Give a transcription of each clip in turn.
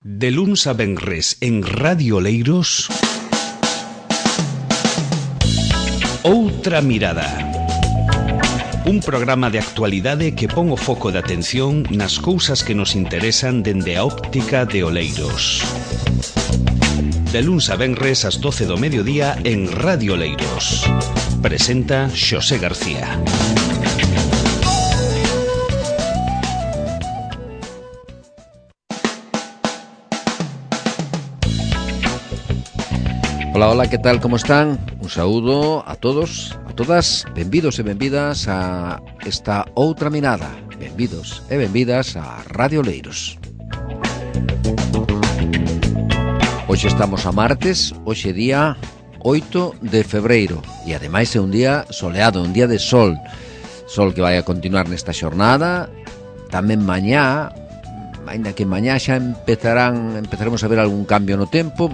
De luns a venres en Radio Oleiros, Outra Mirada. Un programa de actualidade que pon o foco de atención nas cousas que nos interesan dende a óptica de Oleiros. De luns a venres ás 12 do mediodía en Radio Oleiros. Presenta Xosé García. Hola, que tal, como están? Un saúdo a todos, a todas. Benvidos e benvidas a esta Outra Mirada. Benvidos e benvidas a Radio Oleiros. Hoxe estamos a martes, hoxe día 8 de febreiro. E ademais é un día soleado, un día de sol. Sol que vai a continuar nesta xornada. Tamén mañá, ainda que mañá xa empezaremos a ver algún cambio no tempo.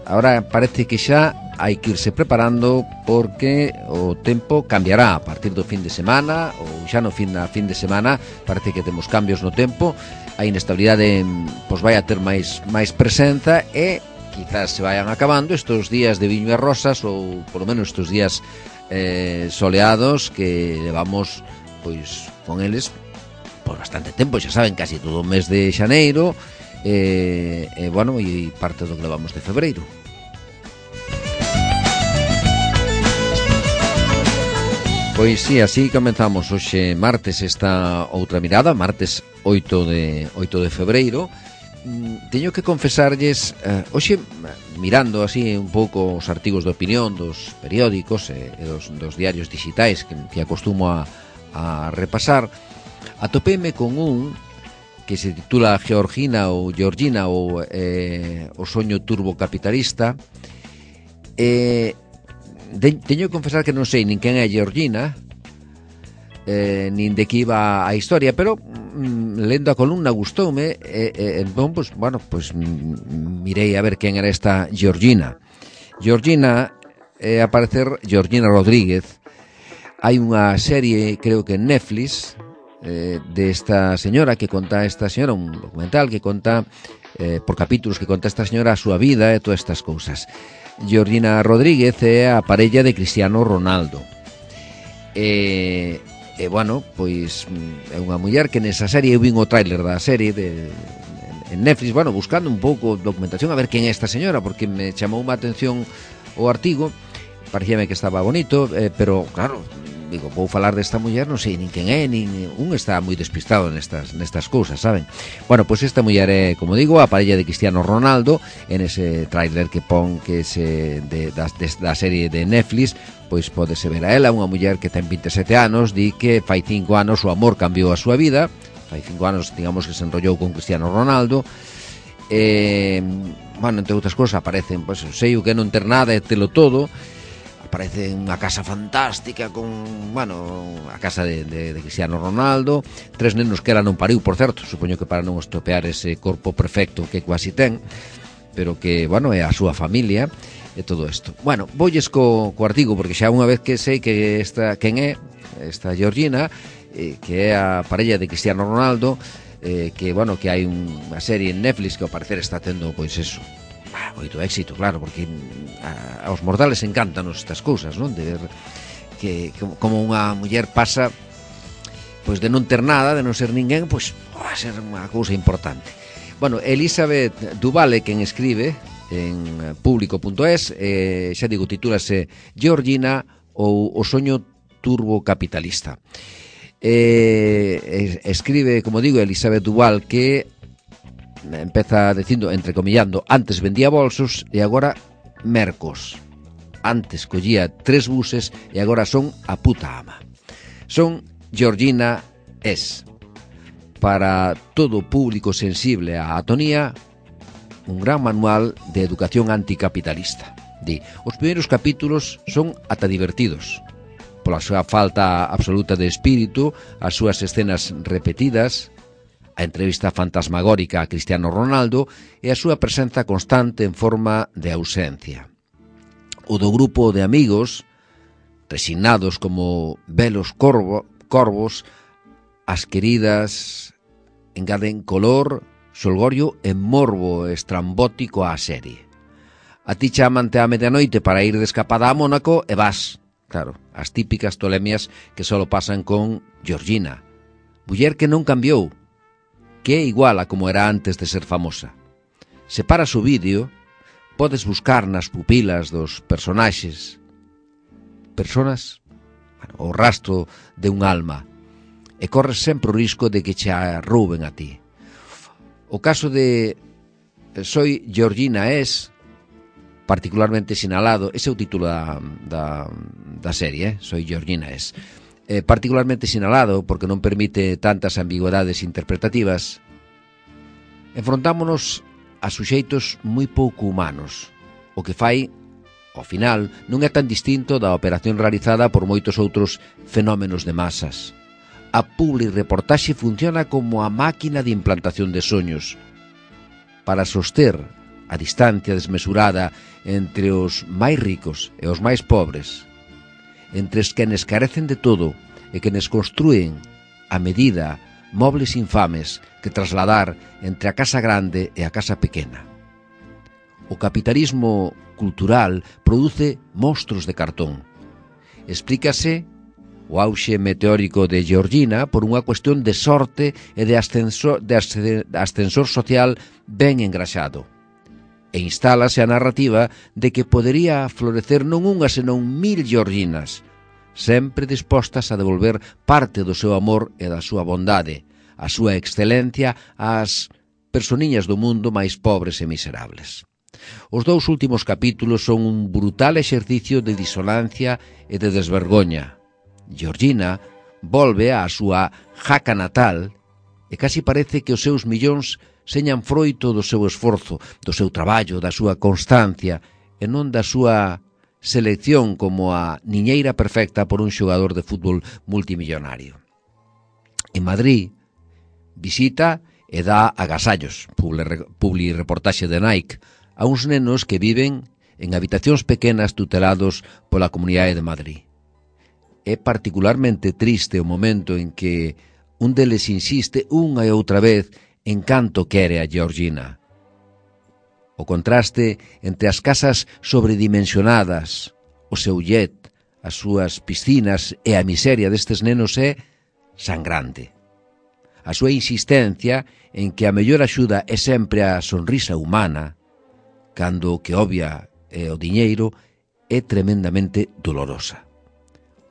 Ahora parece que xa hai que irse preparando porque o tempo cambiará a partir do fin de semana ou xa no fin de semana. Parece que temos cambios no tempo, a inestabilidade vai a ter máis presenza e quizás se vayan acabando estes días de viño e rosas ou polo menos estes días soleados que levamos con eles por bastante tempo, xa saben, casi todo o mes de xaneiro e parte do que levamos de febreiro. Pois sí, así comenzamos hoxe martes esta Outra Mirada, martes 8 de febreiro. Teño que confesarlles, hoxe mirando así un pouco os artigos de opinión dos periódicos e dos diarios digitais que acostumo a repasar, atopéme con un que se titula Georgina ou o soño turbocapitalista. Teño que confesar que non sei nin quen é Georgina, nin de que iba a historia, pero lendo a columna gustoume mirei a ver quen era esta Georgina. Georgina é a parecer Georgina Rodríguez. Hai unha serie, creo que en Netflix, de esta señora un documental que conta por capítulos, que conta esta señora a súa vida e todas estas cousas. Georgina Rodríguez é a parella de Cristiano Ronaldo. É unha muller que nesa serie, eu vin o tráiler da serie en Netflix, buscando un pouco documentación a ver quen é esta señora, porque me chamou má atención o artigo, parecíame que estaba bonito, pero claro, digo, vou falar desta muller, non sei nin quen é, un está moi despistado nestas cousas, saben? Esta muller é, como digo, a parella de Cristiano Ronaldo. En ese tráiler que pon que da serie de Netflix, pois pódese ver a ela, unha muller que ten 27 anos, di que fai 5 anos o amor cambiou a súa vida, fai 5 anos, digamos, que se enrollou con Cristiano Ronaldo. Entre outras cousas aparecen, sei o que non ter nada e telo todo. Aparece unha casa fantástica con, a casa de Cristiano Ronaldo, 3 nenos que ela non pariu, por certo, supoño que para non estropear ese corpo perfecto que quasi ten, pero que, é a súa familia e todo isto. Voulles co artigo, porque xa unha vez que sei que quen é esta Georgina, que é a parella de Cristiano Ronaldo, que hai unha serie en Netflix que ao parecer está tendo, moito éxito, claro, porque aos mortales encantanos estas cousas, non? De ver que como unha muller pasa de non ter nada, de non ser ninguén, a ser unha cousa importante. Elizabeth Duvale, quen escribe en público.es, xa digo, titúlase Georgina ou o soño turbocapitalista. Escribe, como digo, Elizabeth Duvale, que empeza dicindo, entrecomillando, antes vendía bolsos e agora mercos. Antes collía 3 buses e agora son a puta ama. Son Georgina es, para todo público sensible á atonía, un gran manual de educación anticapitalista. Os primeiros capítulos son ata divertidos, pola súa falta absoluta de espírito, as súas escenas repetidas, a entrevista fantasmagórica a Cristiano Ronaldo e a súa presenza constante en forma de ausencia. O do grupo de amigos, resignados como velos corvos, as queridas engaden color xolgorio e morbo estrambótico á serie. A ti chamante á medianoite para ir de escapada a Mónaco e vas. Claro, as típicas tolemias que solo pasan con Georgina, muller que non cambiou, que é igual a como era antes de ser famosa. Se paras o vídeo, podes buscar nas pupilas dos personaxes o rastro de un alma, e corres sempre o risco de que che rouben a ti. O caso de Soy Georgina es particularmente sinalado, ese é o título da serie, Soy Georgina es, particularmente sinalado porque non permite tantas ambigüedades interpretativas. Enfrontámonos a suxeitos moi pouco humanos, o que fai, ao final, non é tan distinto da operación realizada por moitos outros fenómenos de masas. A publireportaxe funciona como a máquina de implantación de soños para soster a distancia desmesurada entre os máis ricos e os máis pobres, entre os quenes carecen de todo e quenes construen a medida mobles infames que trasladar entre a casa grande e a casa pequena. O capitalismo cultural produce monstros de cartón. Explícase o auxe meteórico de Georgina por unha cuestión de sorte e de ascensor social ben engraxado. E instálase a narrativa de que podería florecer non unha senón 1000 Georginas, sempre dispostas a devolver parte do seu amor e da súa bondade, a súa excelencia ás personiñas do mundo máis pobres e miserables. Os dous últimos capítulos son un brutal exercicio de disonancia e de desvergoña. Georgina volve á súa jaca natal e casi parece que os seus millóns señan froito do seu esforzo, do seu traballo, da súa constancia e non da súa selección como a niñeira perfecta por un xogador de fútbol multimillonario. En Madrid visita e dá agasallos, publireportaxe de Nike, a uns nenos que viven en habitacións pequenas tutelados pola Comunidade de Madrid. É particularmente triste o momento en que un deles insiste unha e outra vez en canto quere a Georgina. O contraste entre as casas sobredimensionadas, o seu jet, as súas piscinas e a miseria destes nenos é sangrante. A súa insistencia en que a mellor axuda é sempre a sonrisa humana, cando o que obvia é o diñeiro, é tremendamente dolorosa.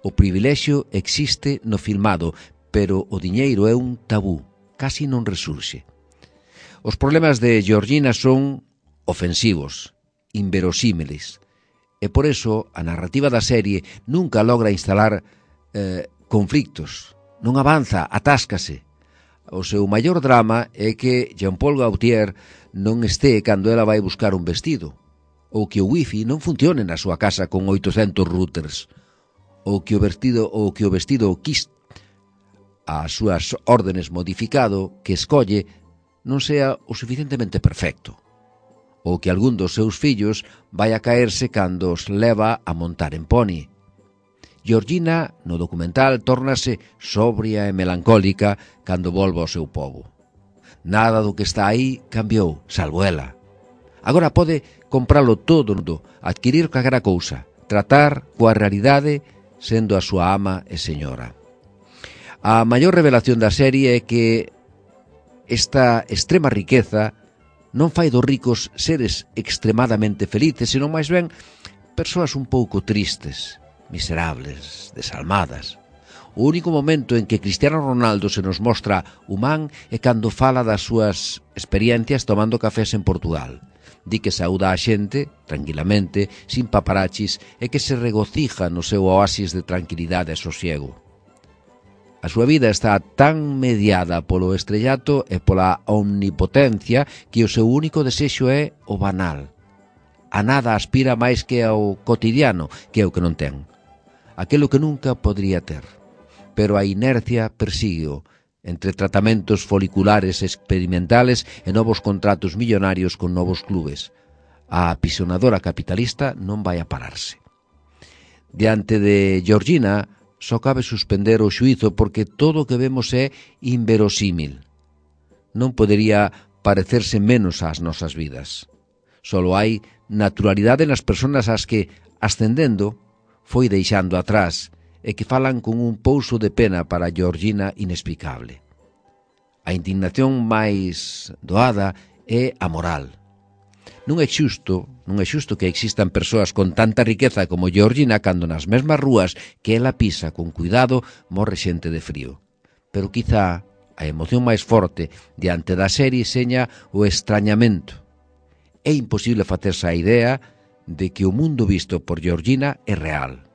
O privilexio existe no filmado, pero o diñeiro é un tabú, casi non resurxe. Os problemas de Georgina son ofensivos, inverosímiles, e por eso a narrativa da serie nunca logra instalar conflictos, non avanza, atáscase. O seu maior drama é que Jean-Paul Gaultier non este cando ela vai buscar un vestido, ou que o wifi non funcione na súa casa con 800 routers, ou que o vestido quis as súas órdenes modificado que escolle non sea o suficientemente perfecto, ou que algún dos seus fillos vai a caerse cando os leva a montar en poni. Georgina, no documental, tórnase sobria e melancólica cando volve ao seu pobo. Nada do que está aí cambiou, salvo ela. Agora pode compralo todo, adquirir calquera cousa, tratar coa realidade sendo a súa ama e señora. A maior revelación da serie é que esta extrema riqueza non fai dos ricos seres extremadamente felices, senón máis ben persoas un pouco tristes, miserables, desalmadas. O único momento en que Cristiano Ronaldo se nos mostra humán é cando fala das súas experiencias tomando cafés en Portugal. Di que saúda a xente, tranquilamente, sin paparachis, e que se regocija no seu oasis de tranquilidade e sosiego. A súa vida está tan mediada polo estrellato e pola omnipotencia que o seu único desexo é o banal. A nada aspira máis que ao cotidiano, que é o que non ten. Aquelo que nunca podría ter. Pero a inercia persígueo entre tratamentos foliculares experimentales e novos contratos millonarios con novos clubes. A apisonadora capitalista non vai a pararse. Diante de Georgina, só cabe suspender o xuízo porque todo o que vemos é inverosímil. Non podería parecerse menos ás nosas vidas. Solo hai naturalidade nas persoas ás que, ascendendo, foi deixando atrás e que falan con un pouso de pena para Georgina inexplicable. A indignación máis doada é a moral. Non é xusto que existan persoas con tanta riqueza como Georgina cando nas mesmas rúas que ela pisa con cuidado morre xente de frío. Pero quizá a emoción máis forte diante da serie seña o extrañamento. É imposible facerse a idea de que o mundo visto por Georgina é real.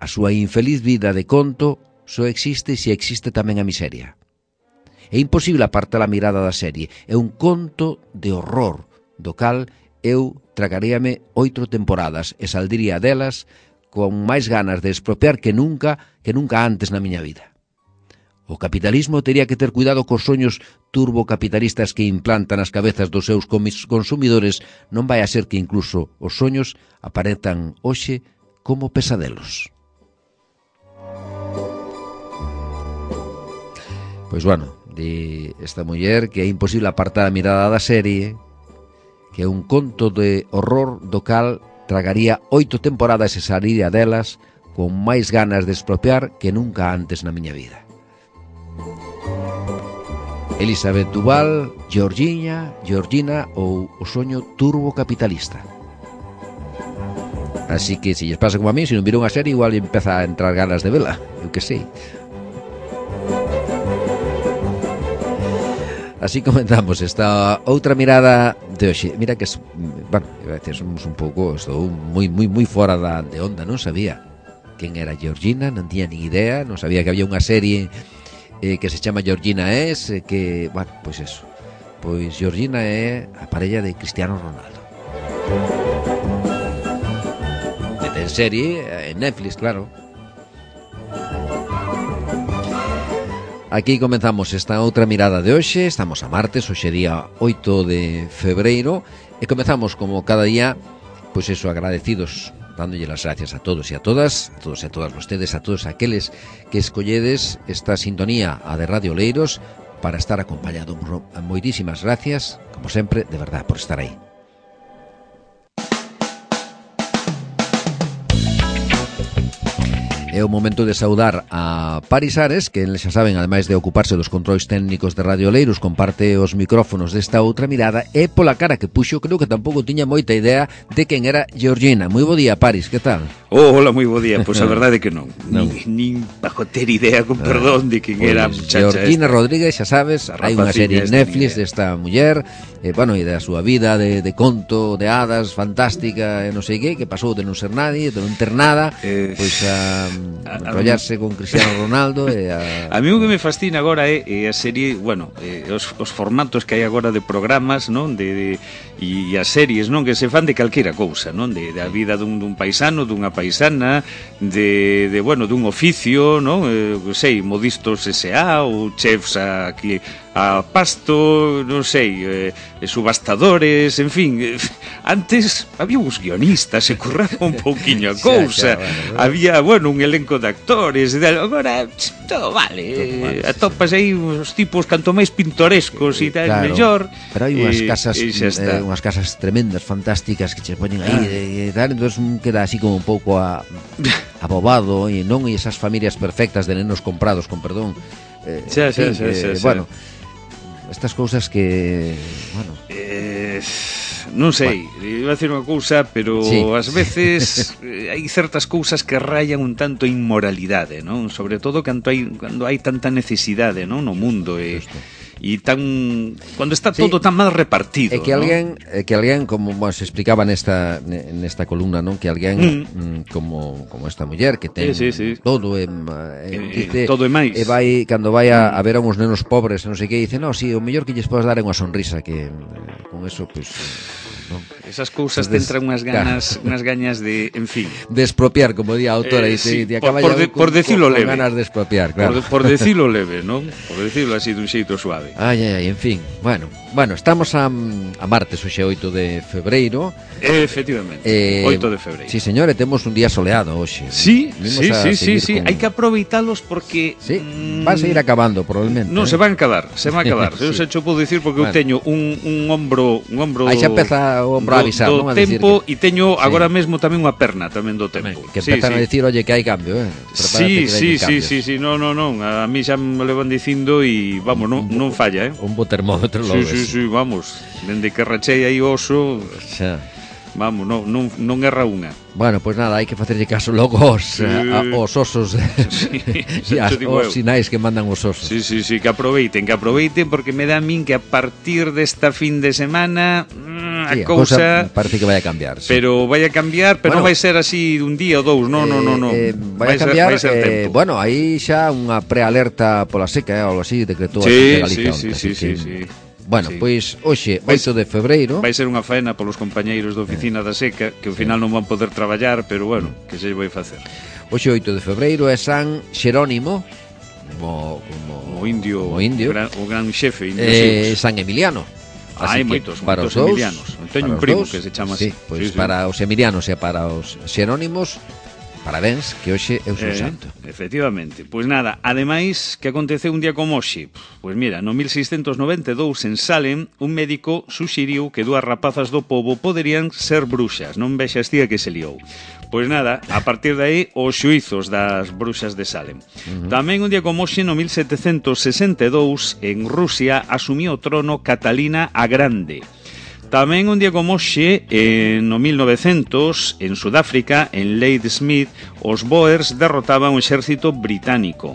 A súa infeliz vida de conto só existe se existe tamén a miseria. É imposible apartar a mirada da serie. É un conto de horror, do cal eu tragaríame 8 temporadas e saldría delas con máis ganas de expropiar que nunca antes na miña vida. O capitalismo tería que ter cuidado cos soños turbocapitalistas que implantan as cabezas dos seus consumidores. Non vai a ser que incluso os soños aparezcan hoxe como pesadelos. Pois bueno, de esta muller que é imposible apartar a mirada da serie, que é un conto de horror do cal tragaría 8 temporadas e saliría delas con máis ganas de expropiar que nunca antes na miña vida. Elizabeth Duval, Georgina ou o soño turbocapitalista. Así que se lles pasa como a mí, se non viron a serie igual empeza a entrar ganas de vela, eu que sei. Así comenzamos esta outra mirada de hoxe. Mira que, bueno, a veces somos un pouco, estou moi fora de onda, non sabía quen era Georgina, non tiña ni idea, non sabía que había unha serie que se chama Georgina es, que, bueno, pois eso. Pois Georgina é a parella de Cristiano Ronaldo. Que ten serie en Netflix, claro. Aquí comenzamos esta outra mirada de hoxe. Estamos a martes, hoxe día 8 de febreiro, e comezamos como cada día, pois eso, agradecidos, dándolle las gracias a todos e a todas, a todos e a todas vostedes, a todos aqueles que escolledes esta sintonía, a de Radio Oleiros, para estar acompañado. Moitísimas gracias, como sempre, de verdad, por estar aí. É o momento de saudar a Paris Ares, que xa saben, ademais de ocuparse dos controis técnicos de Radio Oleiros, comparte os micrófonos desta outra mirada, e pola cara que puxo, creo que tampouco tiña moita idea de quen era Georgina. Moi bo día, Paris, que tal? Hola, moi bo día. Pois a verdade é que non. Nin bajo ter idea, con perdón, de quen era a muchacha Georgina esta. Rodríguez, xa sabes, hai unha serie en Netflix desta muller, bueno, e da súa vida de conto, de hadas, fantástica, e non sei que pasou de non ser nadie, de non ter nada, pois a enrollarse con Cristiano Ronaldo e a mí o que me fascina agora é a serie, bueno, os formatos que hai agora de programas, non, e as series, non, que se fan de calquera cousa, non, de a vida dun paisano, dunha paisana, de bueno, dun oficio, non, sei, modistos S.A. ou chefs aquí a pasto, non sei, subastadores, en fin. Antes había uns guionistas, se curraba un pouquiño a cousa, había, bueno, un elenco de actores, agora todo vale, atopas aí uns tipos canto máis pintorescos e tal, mellor. Pero hai unhas casas tremendas, fantásticas, que che poñen aí e tal, entón queda así como un pouco abobado, e non, e esas familias perfectas de nenos comprados, con perdón. Bueno, estas cousas que, bueno, non sei, iba a decir unha cousa, pero ás veces hai certas cousas que rayan un tanto inmoralidade, non? Sobre todo cando hai tanta necesidade, non, no mundo, e tan cuando está todo tan mal repartido. É que alguén, como se explicaba nesta columna, non, que alguén como esta muller que ten todo todo e máis. E vai cando vai a ver a uns nenos pobres, non sei que, dice, "No, si, o mellor que lles podes dar é unha sonrisa", que con eso pois non. Esas cousas te entran unhas gañas de, en fin, de expropiar, como di a autora, por decirlo leve. Ganas de expropiar, claro. Por decirlo leve, non? Por decirlo así dun xeito suave. Ai, en fin, bueno. Bueno, estamos a martes, hoxe 8 de febreiro. Efectivamente, 8 de febreiro. Sí, señor, e temos un día soleado hoxe. Sí, sí, con... hai que aproveitalos porque... Sí, van a seguir acabando, probablemente. Non, se van a acabar. Sí. Eu se cho podo dicir porque eu teño un ombro... Aí xa empeza o ombro a avisar, non? A tempo, que... e teño agora mesmo tamén unha perna tamén do tempo. Que empezan a dicir, oye, que hai cambio, Sí, non, a mí xa me levan dicindo e, vamos, non falla, Un bo termómetro logo. Sí, vamos, dende que rachei aí oso... Xa. Vamos, non erra unha. Bueno, pois nada, hai que facerlle caso logo aos osos e aos sinais que mandan os osos. Sí, que aproveiten porque me dá a min que a partir desta fin de semana a cousa parece que vai a cambiar, sí. Pero vai a cambiar, pero non vai ser así dun día ou dous, non. Vai a cambiar, bueno, aí xa unha prealerta pola seca, algo así, decretou a Galicia. Sí. Bueno, pois hoxe, 8 de febreiro. Vai ser unha faena polos compañeiros da oficina da seca, que ao final non van poder traballar, pero bueno, que se vai facer. Hoxe 8 de febreiro é San Xerónimo, como indio, o gran xefe indio. San Emiliano. Hai moitos emilianos. Teño un primo que se chama así. Pois para os emilianos e para os xerónimos, parabéns, que hoxe é o seu santo. Efectivamente. Pois nada, ademais, que aconteceu un día como hoxe? Pois mira, no 1692 en Salem, un médico suxiriu que 2 rapazas do pobo poderían ser bruxas. Non vexas tía que se liou. Pois nada, a partir de aí, os xuizos das bruxas de Salem. Tamén un día como hoxe, no 1762, en Rusia, asumiu o trono Catalina a Grande. Tamén un día como hoxe, no 1900, en Sudáfrica, en Ladysmith, os Boers derrotaban o exército británico.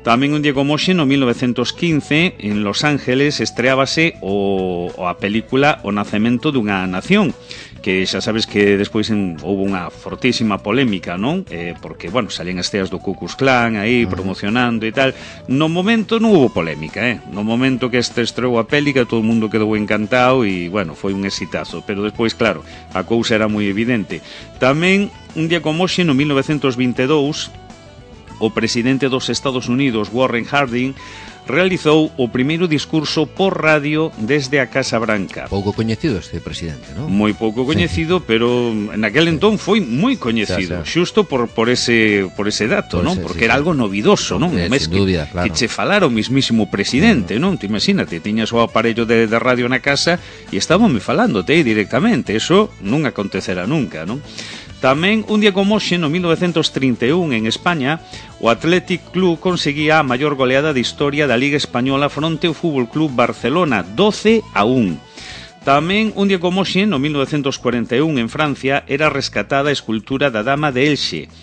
Tamén un día como hoxe, no 1915, en Los Ángeles, estreábase a película O Nacemento dunha Nación, que xa sabes que despois houve unha fortísima polémica, non? Porque, bueno, salían as teas do Ku Klux Klan aí promocionando e tal. No momento non houve polémica, No momento que estreou a pélica, todo o mundo quedou encantado e, bueno, foi un exitazo. Pero despois, claro, a cousa era moi evidente. Tamén, un día como hoxe, no 1922, o presidente dos Estados Unidos, Warren Harding, realizou o primeiro discurso por radio desde a Casa Branca. Pouco coñecido este presidente, non? Moi pouco coñecido, pero naquel entón foi moi coñecido, xusto por ese dato, non? Porque era algo novidoso, non? Sin dúbida, claro. Que che falara o mismísimo presidente, non? Te imagínate, tiñas o aparello de radio na casa e estábame falándote aí directamente, eso non acontecerá nunca, non? Tamén, un día como hoxe, no 1931, en España, o Athletic Club conseguía a maior goleada de historia da Liga Española fronte ao Fútbol Club Barcelona, 12-1. Tamén, un día como hoxe, no 1941, en Francia, era rescatada a escultura da Dama de Elxe.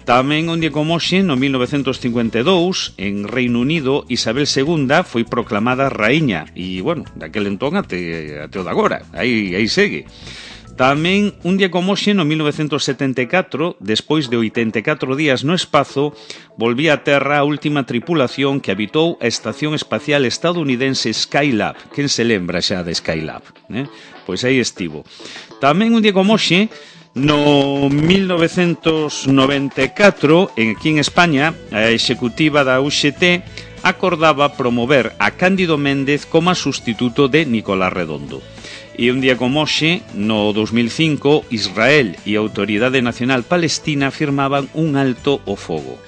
Tamén, un día como hoxe, no 1952, en Reino Unido, Isabel II foi proclamada raíña. E, bueno, daquel entón até o de agora. Aí segue. Tamén, un día como hoxe, no 1974, despois de 84 días no espazo, volvía a terra a última tripulación que habitou a Estación Espacial Estadounidense Skylab. Quen se lembra xa de Skylab? Pois aí estivo. Tamén, un día como hoxe, no 1994, aquí en España, a executiva da UGT acordaba promover a Cándido Méndez como sustituto de Nicolás Redondo. E un día como hoxe, no 2005, Israel e a Autoridade Nacional Palestina firmaban un alto ao fogo.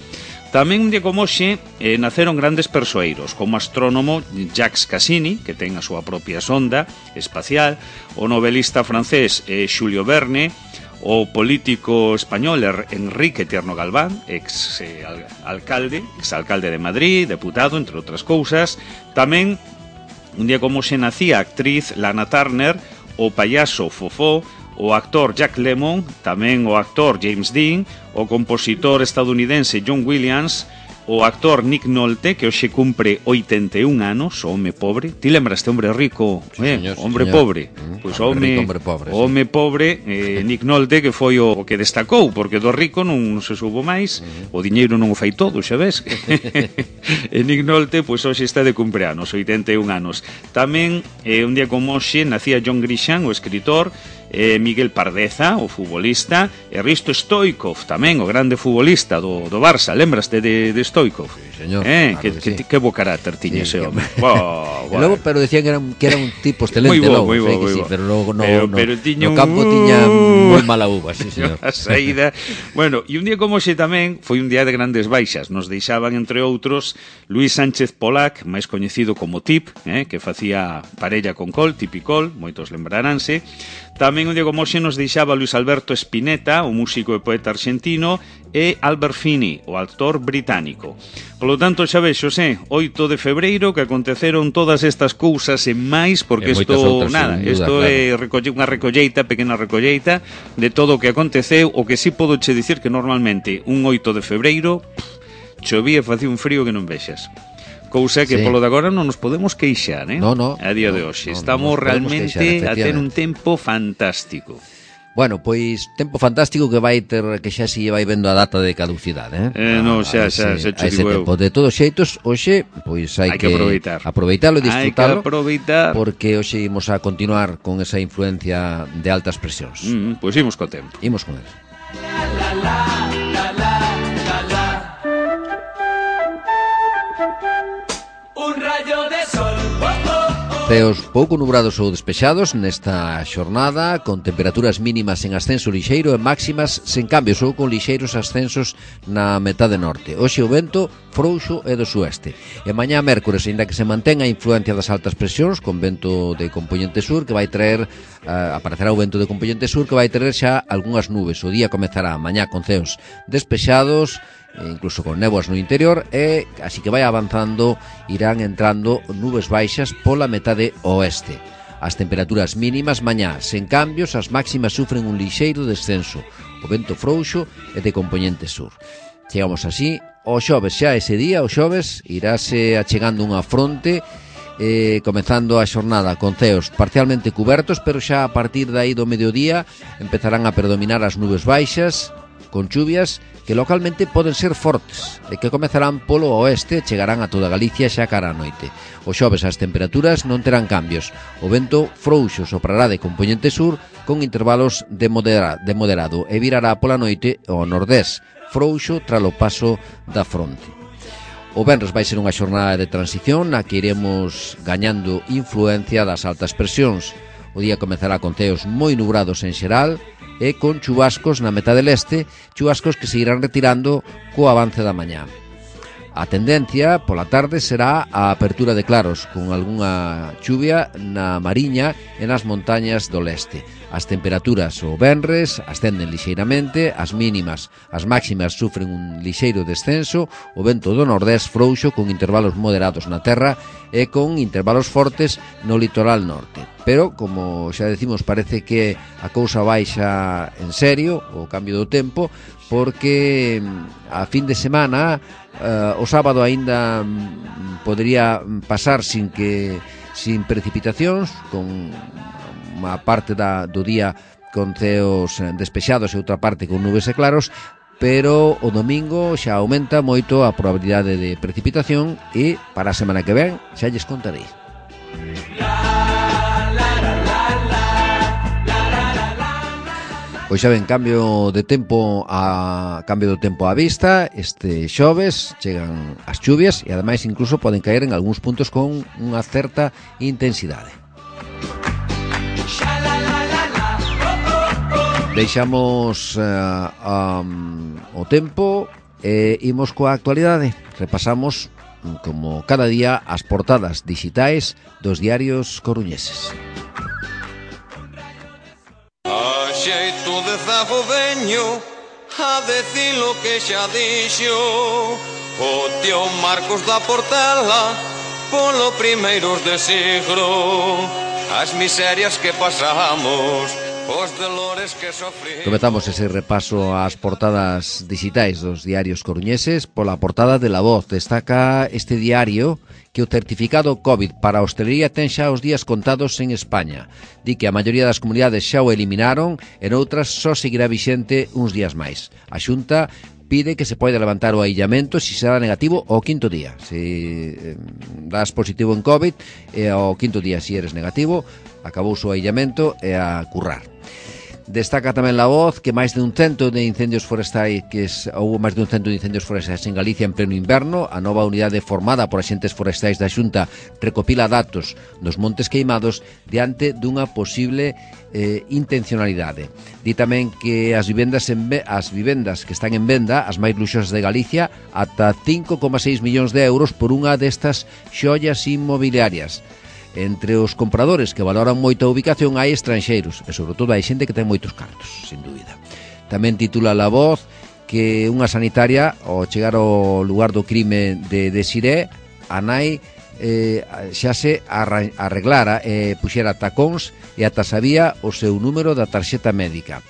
Tamén un día como hoxe naceron grandes persoeiros, como o astrónomo Jacques Cassini, que ten a súa propia sonda espacial, o novelista francés Julio Verne, o político español Enrique Tierno Galván, exalcalde de Madrid, deputado, entre outras cousas. Tamén un día como se nacía a actriz Lana Turner, o payaso Fofó, o actor Jack Lemmon, tamén o actor James Dean, o compositor estadounidense John Williams, o actor Nick Nolte, que hoxe cumpre 81 anos, o home pobre. Ti lembraste, hombre rico, hombre pobre? Pois home pobre, Nick Nolte, que foi o que destacou, porque do rico non se subo máis, o diñeiro non o fai todo, xa ves? E Nick Nolte, pois hoxe está de cumpleanos, 81 anos. Tamén, un día como hoxe, nacía John Grisham, o escritor, Miguel Pardeza, o futbolista, e Risto Stoichkov, tamén o grande futbolista do Barça. Lembraste de Stoichkov? señor. Claro que bo carácter tiña ese home. E logo, pero decían que era un tipo excelente logo, moi bo. pero logo pero tiña no campo tiña moi mala uva, sí, señor. A saída. Bueno, e un día como hoxe tamén foi un día de grandes baixas. Nos deixaban, entre outros, Luis Sánchez Polac, máis coñecido como Tip, que facía parella con Col, Tip e Col, moitos lembraránse. Tamén un día como hoxe nos deixaba Luis Alberto Spinetta, o músico e poeta argentino, e Albert Finney, o actor británico. Polo tanto, xa vexo, 8 de febreiro, que aconteceron todas estas cousas e máis, porque isto é unha recolleita, pequena recolleita, de todo o que aconteceu. O que sí podo che dicir que normalmente un 8 de febreiro chovía e facía un frío que non vexas. Cousa que polo de agora non nos podemos queixar, No, a día de hoxe. Estamos realmente a ter un tempo fantástico. Bueno, pois tempo fantástico que vai ter, que xa si vai vendo a data de caducidade, xa che digo eu. De todos xeitos, hoxe, pois hai que aproveitalo e disfrutalo. Hai que aproveitar. Porque hoxe imos a continuar con esa influencia de altas presións. Pois imos co tempo. Imos con ele. Ceos pouco nubrados ou despexados nesta xornada, con temperaturas mínimas en ascenso lixeiro e máximas sen cambios ou con lixeiros ascensos na metade norte. Hoxe o vento frouxo e do sueste. E mañá mércores, ainda que se mantén a influencia das altas presións, con vento de compoñente sur, que vai traer, aparecerá o vento de compoñente sur, que vai traer xa algunhas nubes. O día comezará mañá con ceos despexados, incluso con néboas no interior, e así que vai avanzando, irán entrando nubes baixas pola metade oeste. As temperaturas mínimas mañá sen cambios, as máximas sufren un lixeiro descenso, o vento frouxo e de compoñente sur. Chegamos así ao xoves, xa ese día, o xoves, irase achegando unha fronte, comezando a xornada con ceos parcialmente cubertos, pero xa a partir de aí do mediodía empezarán a predominar as nubes baixas, con chuvias que localmente poden ser fortes e que comezarán polo oeste e chegarán a toda Galicia xa cara a noite. O xoves as temperaturas non terán cambios. O vento frouxo soprará de compoñente sur con intervalos de moderado e virará pola noite ao nordés, frouxo tralo paso da fronte. O venres vai ser unha xornada de transición na que iremos gañando influencia das altas presións. O día comezará con ceos moi nubrados en xeral e con chubascos na metade leste, chubascos que se irán retirando co avance da mañá. A tendencia pola tarde será a apertura de claros, con algunha chuvia na Mariña e nas montañas do leste. As temperaturas o venres ascenden lixeiramente, as mínimas, as máximas sufren un lixeiro descenso, o vento do nordés frouxo con intervalos moderados na terra e con intervalos fortes no litoral norte. Pero, como xa decimos, parece que a cousa baixa en serio, o cambio do tempo, porque a fin de semana, o sábado aínda podría pasar sin precipitacións, con unha parte do día con ceos despexados e outra parte con nubes e claros, pero o domingo xa aumenta moito a probabilidade de precipitación e para a semana que ven xa lles contarei. Pois xa ven, cambio do tempo á vista. Este xoves chegan as chuvias e ademais incluso poden caer en algúns puntos con unha certa intensidade. Deixamos o tempo e imos coa actualidade. Repasamos, como cada día, as portadas digitais dos diarios coruñeses. A xeito de zago veño a decir lo que xa dixo o tío Marcos da Portela polo primeiros de siglo, as miserias que pasamos, os dolores que sofrimos. Comezamos ese repaso ás portadas digitais dos diarios coruñeses. Pola portada de La Voz destaca este diario que o certificado COVID para a hostelería ten xa os días contados en España. Di que a maioría das comunidades xa o eliminaron e noutras só seguirá vixente uns días máis. A Xunta pide que se poida levantar o aillamento se será negativo ao quinto día. Se das positivo en COVID e ao quinto día se eres negativo, acabou o aillamento e a currar. Destaca tamén La Voz que máis de un cento de incendios forestais houve máis de un cento de incendios forestais en Galicia en pleno inverno. A nova unidade formada por axentes forestais da Xunta recopila datos dos montes queimados diante dunha posible intencionalidade. Di tamén que as vivendas que están en venda, as máis luxosas de Galicia, ata 5,6 millóns de euros por unha destas xoias inmobiliarias. Entre os compradores que valoran moito a ubicación hai estranxeiros e sobre todo hai xente que ten moitos cartos, sin dúbida. Tamén titula La Voz que unha sanitaria ao chegar ao lugar do crime de Desiré, a nai xa se arreglara e puxera tacóns e ata sabía o seu número da tarxeta médica.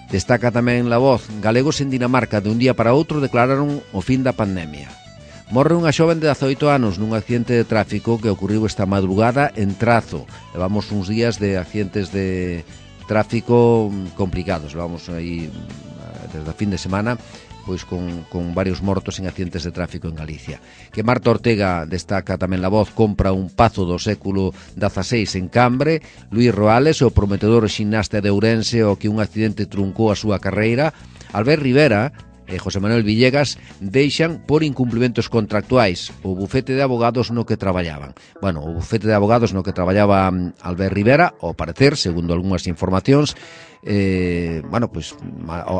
Destaca tamén La Voz, galegos en Dinamarca de un día para outro declararon o fin da pandemia. Morre unha xoven de 18 anos nun accidente de tráfico que ocorriu esta madrugada en Trazo. Levamos uns días de accidentes de tráfico complicados. Levamos aí desde a fin de semana pois con varios mortos en accidentes de tráfico en Galicia. Que Marta Ortega, destaca tamén La Voz, compra un pazo do século XVI en Cambre. Luís Roales, o prometedor ximnasta de Ourense, o que un accidente truncou a súa carreira. Albert Rivera e José Manuel Villegas deixan por incumplimentos contractuais o bufete de abogados no que traballaban. Bueno, o bufete de abogados no que traballaba Albert Rivera, ao parecer, segundo algunhas informacións,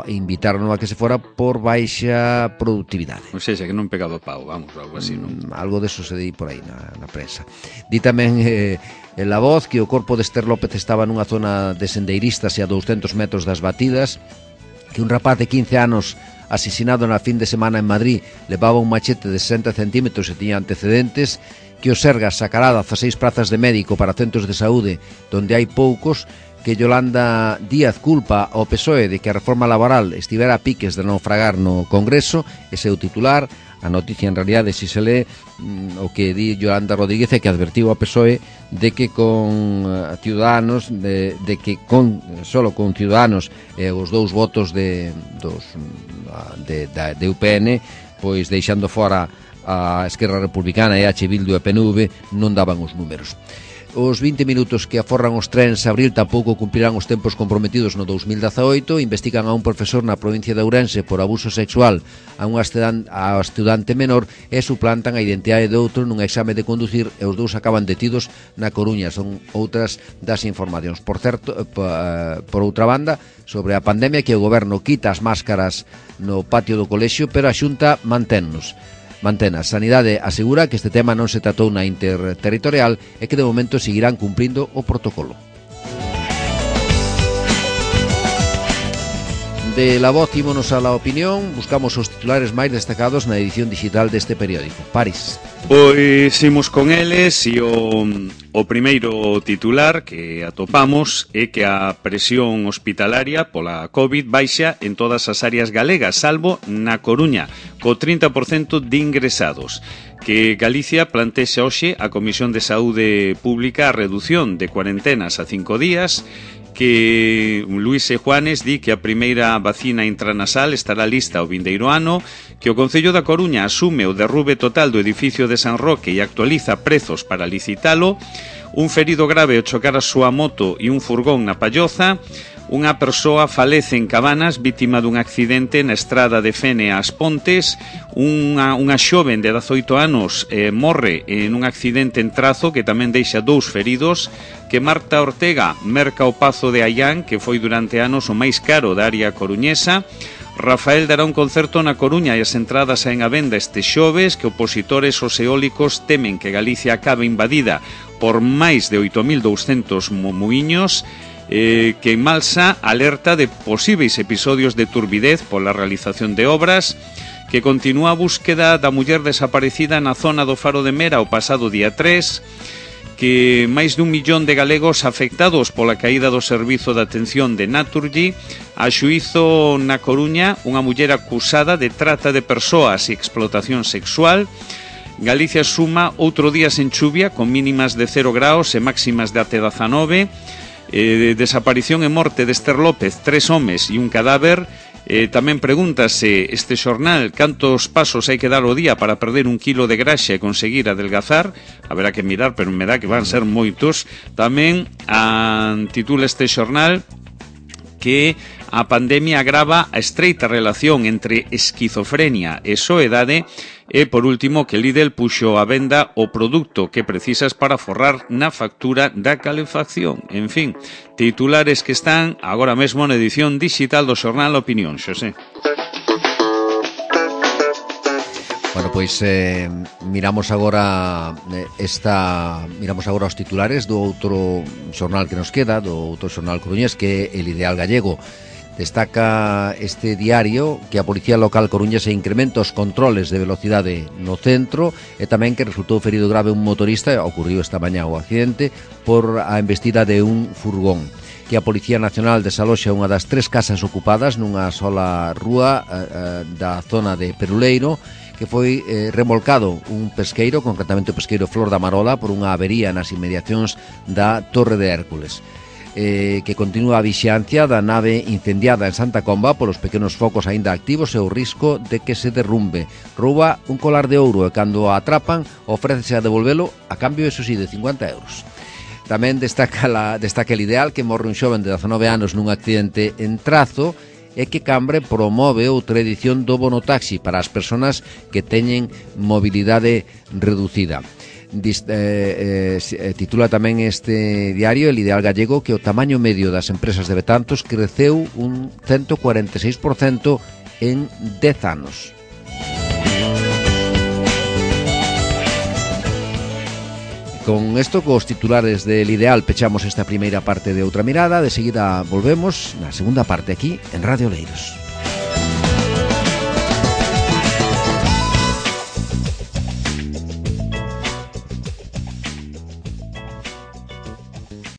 invitaron a que se fora por baixa productividade. O sea, que non pegado pau, vamos, algo así, non? Algo deso se di por aí na prensa. Di tamén en La Voz que o corpo de Esther López estaba nunha zona de sendeiristas e a 200 metros das batidas, que un rapaz de 15 anos asesinado na fin de semana en Madrid levaba un machete de 60 centímetros e tiña antecedentes, que o Sergas sacará 16 plazas de médico para centros de saúde donde hai poucos, que Yolanda Díaz culpa ao PSOE de que a reforma laboral estivera a piques de naufragar no Congreso. Ese é o titular. A noticia, en realidade, si se lee, o que di Yolanda Rodríguez é que advertiu ao PSOE de que con Ciudadanos, de que solo con Ciudadanos os dous votos de UPN, pois deixando fora a Esquerra Republicana e H. Bildu e PNV, non daban os números. Os 20 minutos que aforran os trens abril tampouco cumplirán os tempos comprometidos no 2018. Investigan a un profesor na provincia de Ourense por abuso sexual a unha estudante menor e suplantan a identidade de outro nun exame de conducir e os dous acaban detidos na Coruña. Son outras das informacións. Por certo, por outra banda, sobre a pandemia, que o goberno quita as máscaras no patio do colexio, pero a Xunta manténnos. A Sanidade asegura que este tema non se tratou na interterritorial e que de momento seguirán cumprindo o protocolo. De La Voz ímonos a La Opinión, buscamos os titulares máis destacados na edición digital deste periódico. París. Pois imos con eles e o primeiro titular que atopamos é que a presión hospitalaria pola COVID baixa en todas as áreas galegas, salvo na Coruña, co 30% de ingresados. Que Galicia plantexa hoxe a Comisión de Saúde Pública a redución de cuarentenas a 5 días, que Luís E. Juanes di que a primeira vacina intranasal estará lista o vindeiro ano, que o Concello da Coruña asume o derrube total do edificio de San Roque e actualiza prezos para licitalo, un ferido grave ao chocar a súa moto e un furgón na Palloza, unha persoa falece en Cabanas vítima dun accidente na estrada de Fene ás Pontes, unha xoven de 18 anos morre en un accidente en Trazo que tamén deixa 2 feridos, que Marta Ortega merca o Pazo de Aián, que foi durante anos o máis caro da área coruñesa. Rafael dará un concerto na Coruña e as entradas saen a venda este xoves, que opositores aos eólicos temen que Galicia acabe invadida por máis de 8.200 muiños. Que en Malsa alerta de posíveis episodios de turbidez pola realización de obras, que continúa a búsqueda da muller desaparecida na zona do Faro de Mera o pasado día 3, que máis de 1 millón de galegos afectados pola caída do servizo de atención de Naturgy, a xuízo na Coruña unha muller acusada de trata de persoas e explotación sexual. Galicia suma outro día sen chuvia, con mínimas de 0 graus e máximas de até 19. Desaparición e morte de Esther López, 3 homes e un cadáver. Tamén pregúntase este xornal cantos pasos hai que dar ao día para perder 1 kilo de graxa e conseguir adelgazar. Haberá que mirar, pero me dá que van ser moitos. Tamén titula este xornal que a pandemia agrava a estreita relación entre esquizofrenia e soedade e, por último, que Lidl puxo a venda o produto que precisas para forrar na factura da calefacción. En fin, titulares que están agora mesmo na edición digital do xornal Opinión, Xosé. Bueno, pois miramos agora os titulares do outro xornal que nos queda, do outro xornal coruñés, que é El Ideal Gallego. Destaca este diario que a Policía Local coruñesa incrementa os controles de velocidade no centro e tamén que resultou ferido grave un motorista, ocorriu esta mañá o accidente, por a embestida de un furgón. Que a Policía Nacional desaloxa unha das 3 casas ocupadas nunha sola rúa da zona de Peruleiro, que foi remolcado un pesqueiro, concretamente o pesqueiro Flor da Marola, por unha avería nas inmediacións da Torre de Hércules. Que continúa a vixiancia da nave incendiada en Santa Comba polos pequenos focos aínda activos e o risco de que se derrumbe. Rouba un colar de ouro e cando a atrapan ofrécese a devolvelo a cambio, eso sí, de 50 euros. Tamén destaca El Ideal que morre un xoven de 19 anos nun accidente en Trazo e que Cambre promove outra edición do bono taxi para as persoas que teñen mobilidade reducida. Titula tamén este diario El Ideal Gallego que o tamaño medio das empresas de Betanzos creceu un 146% en 10 anos. Con isto, cos titulares del Ideal, pechamos esta primeira parte de Outra Mirada. De seguida volvemos na segunda parte aquí en Radio Oleiros.